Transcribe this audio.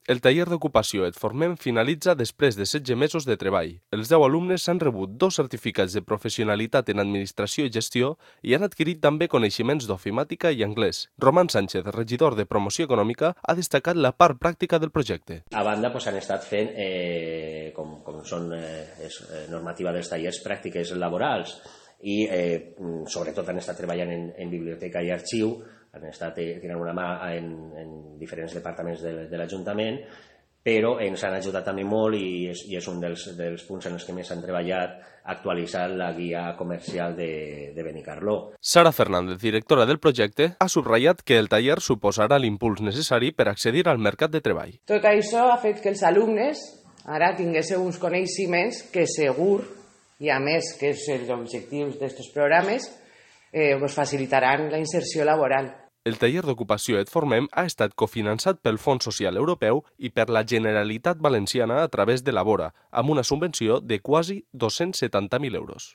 El taller d'ocupació Et Formem finalitza després de 16 mesos de treball. Els 10 alumnes han rebut 2 certificats de professionalitat en administració i gestió i han adquirit també coneixements d'ofimàtica i anglès. Roman Sánchez, regidor de Promoció Econòmica, ha destacat la part pràctica del projecte. A banda, han estat fent, com són normativa dels tallers, pràctiques laborals i sobretot han estat treballant en biblioteca i arxiu, han estat tirant una mà en diferents departaments de l'Ajuntament, però ens han ajudat també molt i és un dels punts en els que més han treballat actualitzar la guia comercial de Benicarló. Sara Fernández, directora del projecte, ha subratllat que el taller suposarà l'impuls necessari per accedir al mercat de treball. Tot això ha fet que els alumnes ara tinguessin uns coneixements que segur, i a més que és els objectius d'aquests programes, facilitaran la inserció laboral. El taller d'ocupació Et Formem ha estat cofinançat pel Fons Social Europeu i per la Generalitat Valenciana a través de Labora, amb una subvenció de quasi 270.000 euros.